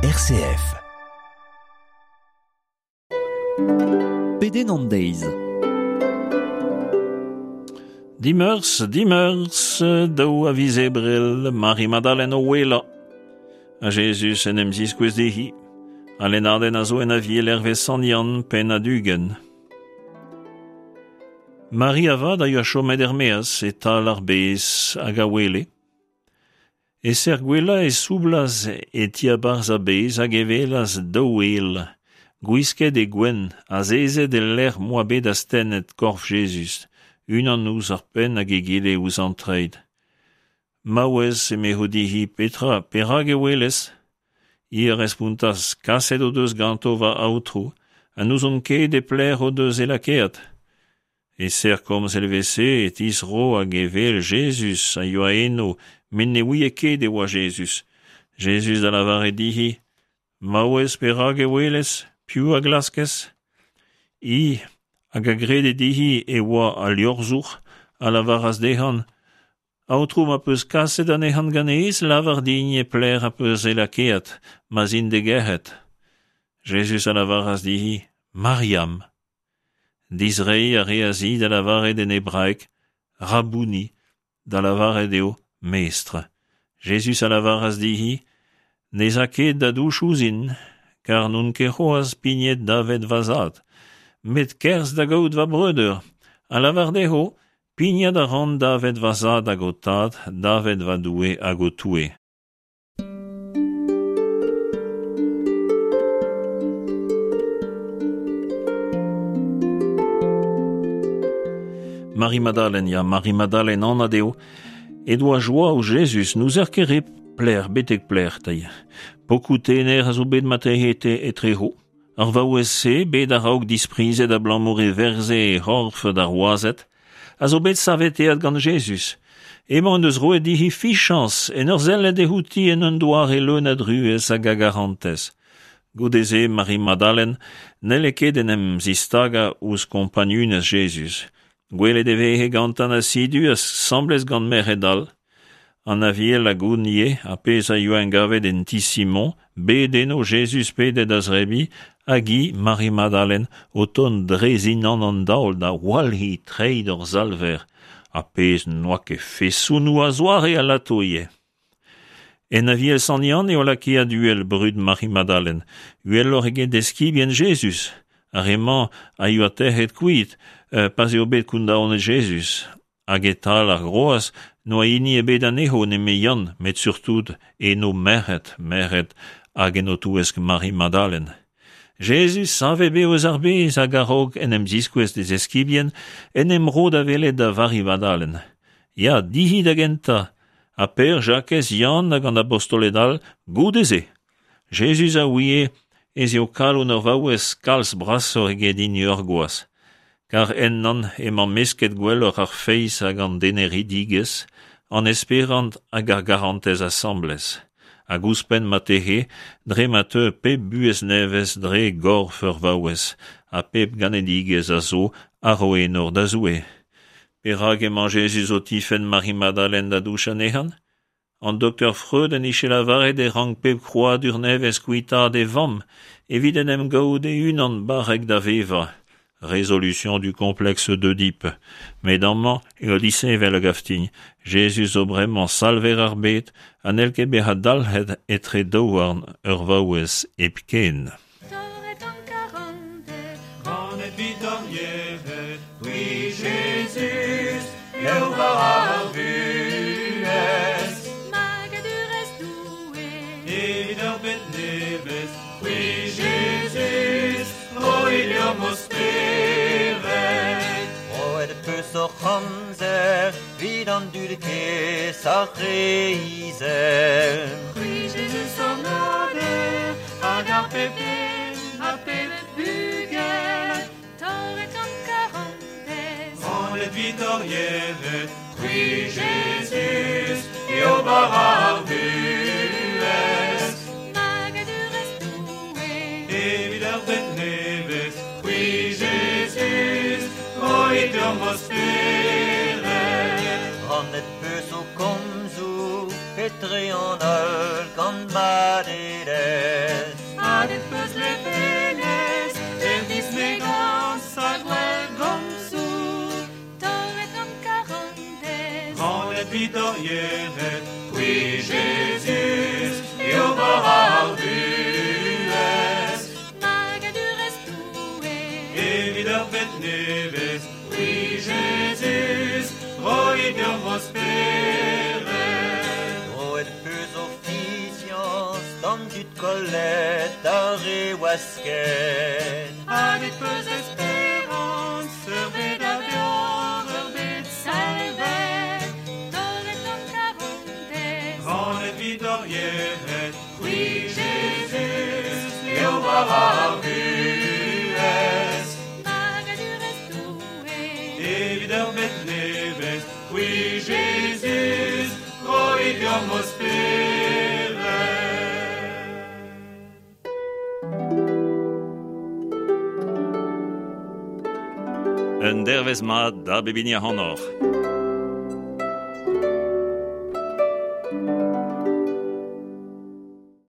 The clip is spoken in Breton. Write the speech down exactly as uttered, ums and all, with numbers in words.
R C F. Pedenn an deiz. Dimeurzh, dimeurzh, daou a viz Ebrel, Mari-Madalen o ouelañ. Ha Jezuz en em ziskouez dezhi. Al lennadenn a zo en Aviel hervez Sant Yann, pennad ugent. Mari avat a yoa chomet er-maez e-tal ar bez hag a ouele. E-ser gouelañ e soublas e diabarzh ar bez hag e welas daou ael, gwisket e gwenn, azezet el lec'h m'oa bet astennet korf Jezuz, unan ouzh ar penn hag egile ouzh an treid. Maouez, emezho dezhi, petra, perak e ouelez? Hi a respontas, kaset o deus ganto va aotrou, ha n'ouzon ket e pelec'h o deus e lakaet. E-ser komz evel-se e tizro hag e wel Jezuz a yoa eno, met ne ouie ket e oa Jezuz. Jezuz a lavare dezhi, Maouez, perak e ouelez? Piv a glaskez? Hi, hag a grede dezhi e oa al liorzhour, a lavaras dezhañ, Aotrou, ma peus kaset anezhañ ganez, lavar din e pelec'h az peus e lakaet, ma'z in d'e gerc'hat. Jezuz a lavaras dezhi, Mariam. Dizreiñ a reas-hi da lavaret en hebraeg, Rabouni, da lavaret eo mestr. Jezuz a lavaras dezhi, Ne'z a ket da douch ouzhin, kar n'on ket c'hoazh pignet davet va zad. Met kerzh da gaout va breudeur, ha lavar dezho, pignat a ran davet va zad hag ho tad, davet va Doue hag ho Toue. Mari-Madalen, ya, Mari-Madalen anat eo, he doa joa ouzh Jezuz, n'ouzer ket re pelec'h, betek pelec'h, teir. Pokoù tener a zo bet marteze etrezo. Ar vaouez-se, bet a-raok disprizet abalamour e verze he c'horf d'ar wazed, a zo bet saveteet gant Jezuz. Emañ en deus roet dezhi fichañs en ur sellet outi en un doare leun a druez hag a garantez. Goude-se, Mari-Madalen n'helle ket en em zistagañ ouzh kompagnunezh Jezuz. Gwelet e veze gantañ asidu asambles gant merc'hed all. An Aviel a gont ivez ar pezh a yoa engavet en ti Simon, bet eno Jezuz pedet da zebriñ, hag hi, Mari-Madalen, o tont dre zindan an daol da walc'hiñ treid hor Salver, ar pezh n'oa ket fesonoù a-zoare alato ivez. En Aviel Sant Yann eo lakaet uhel brud Mari-Madalen, uheloc'h eget eskibien Jezuz. Ar re-mañ a yoa tec'het kuit pa'z eo bet kondaonet Jezuz. Hag e-tal ar groaz n'oa hini ebet anezho nemet Yann, met surtout eno merc'hed, merc'hed hag en o touesk Mari-Madalen. Jezuz savet bev eus ar bez hag a-raok en em ziskouez d'e zeskibien en em ro da welet da Vari-Madalen. Ya, dezhi da gentañ, ha Pêr, Jakez, Yann hag an abostoled all goude-se. Jezuz a ouie ez eo kalon ur vaouez kalz brasoc'h eget hini ur gwaz. Kar ennañ emañ mesket gwelloc'h ar feiz hag an deneridigezh, an esperant hag ar garantez asambles. Hag ouzhpenn marteze, dre ma teu pep buhez nevez dre gorf ur vaouez, ha pep ganedigezh a zo a ro enor da Zoue. Perak emañ Jezuz o tifenn Mari-Madalen da douch anezhañ? An doktor Freud en dije lavaret e rank pep krouadur nevez kuitaat e vamm evit en em gaout e-unan barrek da vevañ. Résolution du complexe d'Oedipe. Met amañ eo disheñvel a gav din. Jezuz zo bremañ salver ar bed ha n'hell ket bezañ dalc'het etre daouarn ur vaouez hepken. Torret an karantez, Ganet 'vit ar yec'hed, c'hwi Jezuz, eo bara ar vuhez. Magadurezh Doue, Evit ur bed nevez, c'hwi Jezuz, roit deomp ho spered. Roet peus hoc'h amzer, 'vit an dud kaezh ar re izel. C'hwi Jezuz hon ober, hag ar pep den, ar pep bugel, torret an karantez, Ganet 'vit ar yec'hed, c'hwi Jezuz, eo bara ar vuhez. Magadurezh Doue, Evit ur bed nevez, c'hwi Jezuz, roit deomp ho spered. Rannet peus ho komzoù etre an holl gant madelezh. deomp o spered. Roet peus o fiziañs d'an dud kollet d'ar re wasket. Hadet peus esperañs, ur bed a beoc'h, ur bed Salvet, torret gant karantez. Rannet 'vit hor yec'hed, c'hwi Jezuz, eo war ar vuhez. Magadurezh Doue. Evit ur bed nevez, c'hwi Jezuz, roit deomp ho spered. Un dervez mat da bep hini ac'hanoc'h.